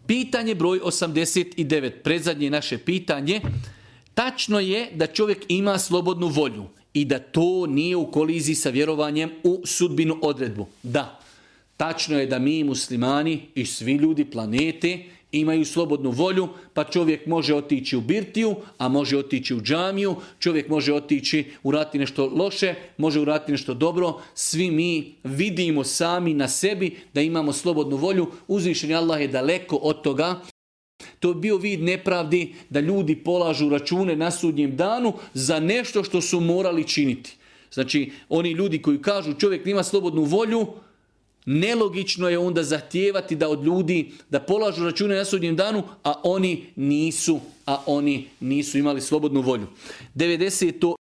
Pitanje broj 89, predzadnje naše pitanje. Tačno je da čovjek ima slobodnu volju i da to nije u koliziji sa vjerovanjem u sudbinu odredbu. Da, tačno je da mi muslimani i svi ljudi planete imaju slobodnu volju, pa čovjek može otići u birtiju, a može otići u džamiju, čovjek može otići uraditi nešto loše, može uraditi nešto dobro. Svi mi vidimo sami na sebi da imamo slobodnu volju. Uzvišeni Allah je daleko od toga. To je bio vid nepravdi da ljudi polažu račune na sudnjem danu za nešto što su morali činiti. Znači, oni ljudi koji kažu čovjek nema slobodnu volju, nelogično je onda zahtijevati da od ljudi da polažu račune na sudnjem danu, a oni nisu imali slobodnu volju. 90.